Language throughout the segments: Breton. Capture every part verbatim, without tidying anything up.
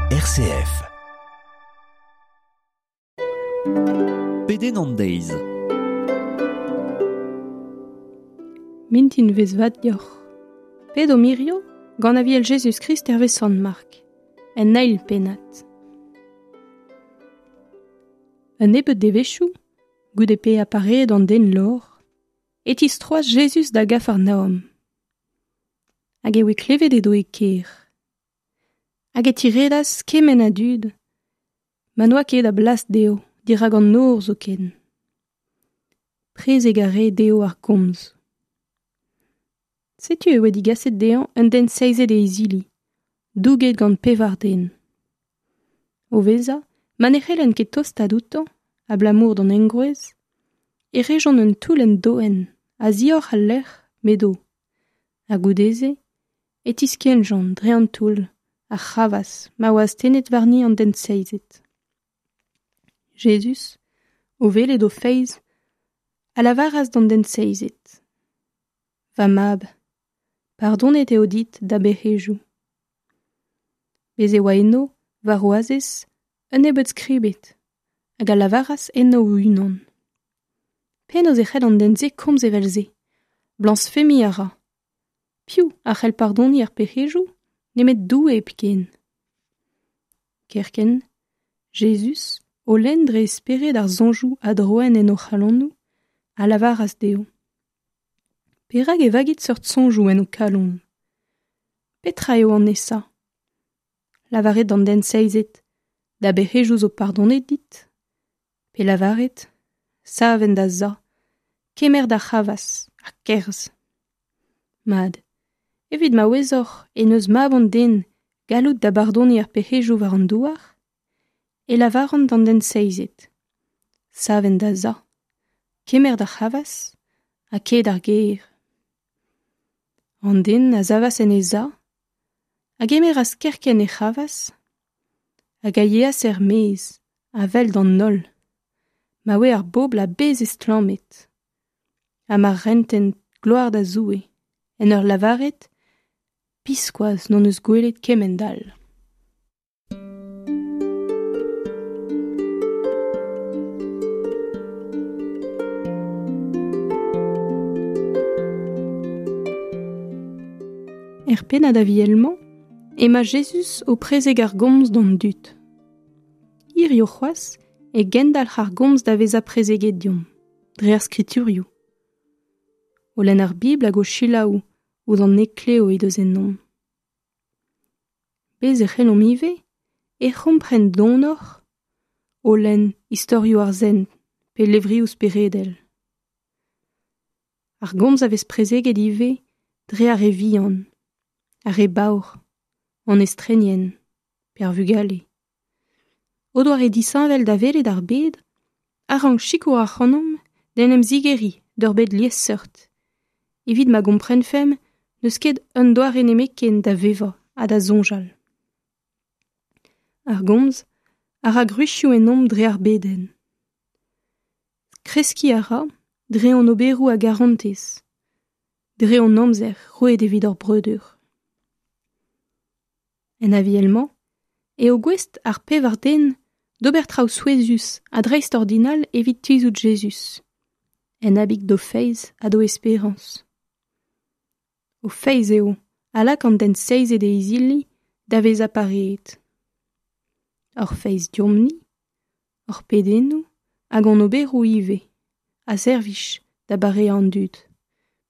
R C F. Pedenn an deiz. Mintin vez vat deoc'h. Ped o mirio gant aviel Jezuz-Krist hervez Sant Mark, en eil pennad. Un nebeud devezhioù, goude pe apareet an den lor, e tistroas Jezuz da Gafarnaom. Hag e oe klevet edo e kêr. Hag e tiredas kement a dud, ma n'oa ket a blas dezho, dirak an nor zoken. Prezeg a rae dezho ar gomz. Setu e oa digaset dezhañ un den seizet e izili, douget gant pevar den. O vezañ, ma ne c'hellent ket tostaat outañ, abalamour d'an engroez, e rejont un toull en doenn, a-zioc'h al lec'h m'edo. Ha goude-se, e tiskennjont dre an toull, ar c'hravazh ma oa astennet warni an den seizet. Jezuz, o welet o feiz, a lavaras d'an den seizet. Va mab, pardonet eo dit da bec'hejoù. Bez' e oa eno, war o azez, un nebeud skribed, hag a lavaras enno o-unan. Penaos e c'hell an den-se komz evel-se, blañsfemiñ a ra. Piv a c'hell pardoniñ ar pec'hejoù nemet Doue hepken. Kerkent, Jezuz, o lenn dre spered ar soñjoù a droen en o c'halonoù, a lavaras dezho. Perak e vagit seurt soñjoù en ho kalon? Petra eo an aesañ? Lavaret d'an den seizet, da bec'hejoù zo pardonet dit? Pe lavaret, sav en da za, kemer da c'hravazh, ha kerzh. Mat, evit ma ouezoc'h e n'eus mab an den galloud da bardoniñ ar pec'hejoù war an douar, e lavaran d'an den seizet. Sav en da za, kemer da c'hravazh, ha kae d'ar gêr. An den a savas en e za, a gemeras kerkent e c'hravazh, hag a yeas er-maez, a-wel d'an holl, ma oa ar bobl a-bezh estlammet, ha ma rentent gloar da Zoue, en ur lavaret, biskoazh n'hon eus gwelet kement all. Er pennad aviel-mañ, emañ Jezuz o prezeg ar gomz d'an dud. Hirio c'hoazh e gendalc'h ar gomz da vezañ prezeget deomp, dre ar skriturioù. O lenn ar Bibl hag o selaou ouzh an heklev he deus ennomp. Bez' e c'hellomp ivez e c'hompren donoc'h o lenn istorioù ar sent pe levrioù speredel. Ar gomz a vez prezeget ivez dre ar re vihan, ar re baour, an estrenien, pe ar vugale. O doare disheñvel da welet ar bed, a rank sikour ac'hanomp d'en em zigeriñ d'ur bed liesseurt, evit ma gomprenfemp n'eus ket un doare nemetken da vevañ ha da soñjal. Ar gomz a ra gwrizioù ennomp dre ar bedenn. Kreskiñ a ra dre hon oberoù a garantez, dre hon amzer roet evit hor breudeur. En aviel-mañ eo gouest ar pevar den d'ober traoù souezhus ha dreist-ordinal evit tizhout Jezuz, en abeg d'o feiz ha d'o esperañs. O feiz eo a lak an den seizet e izili da vezañ pareet. Hor feiz deomp-ni, hor pedennoù hag hon oberoù ivez, a servij da bareañ an dud,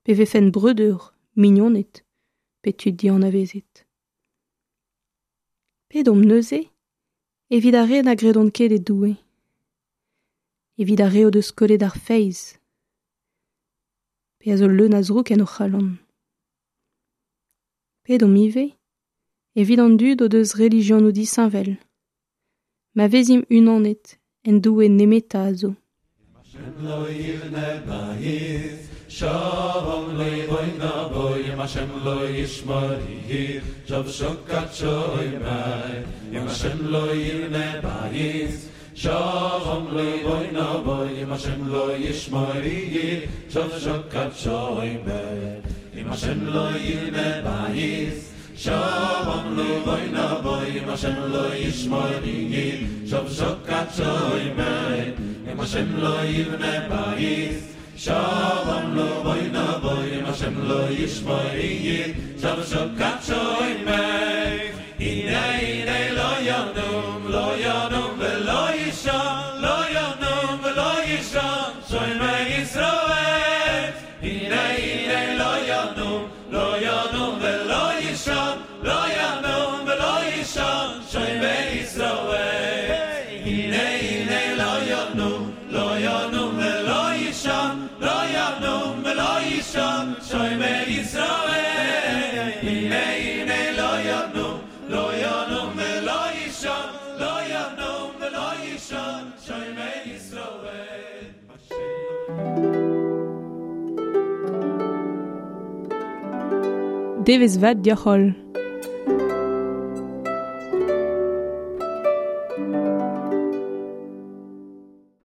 pe vefent breudeur, mignoned, pe tud dianavezet. Pedomp neuze evit ar re na gredont ket e Doue, evit ar re o deus kollet ar feiz, pe a zo leun a zroug en o c'halon. Pedomp ivez evit an dud o deus relijionoù disheñvel, ma vezimp unanet en Doue nemetañ a zo. Shalom levoina boy, im Hashem lo yishmori, shav shokat shoy bay, im Hashem lo yivne bayis. Shalom levoina boy, im Hashem lo yishmori, shav shokat shoy bay, im Hashem lo yivne bayis. Shalom levoina boy, im Im Hashem lo yishmori Shav shokat shoymei Im Hashem lo yivne bayis Shalom lo boy na boy Im Hashem lo yishmori Shav shokat shoymei Hine hine lo yanum lo yanum velo yishan lo yanum velo yishan Shoymei Yisrael Hine hine lo yanum lo yanum velo yishan lo yanum velo yishan Shoymei Yisrael Hine hine lo yanum lo yanum velo yishan lo yanum velo yishan Shoymei Yisrael Hine hine lo yanum lo yanum velo yishan lo yanum velo yishan Shoymei Yisrael Devezh vat deoc'h holl.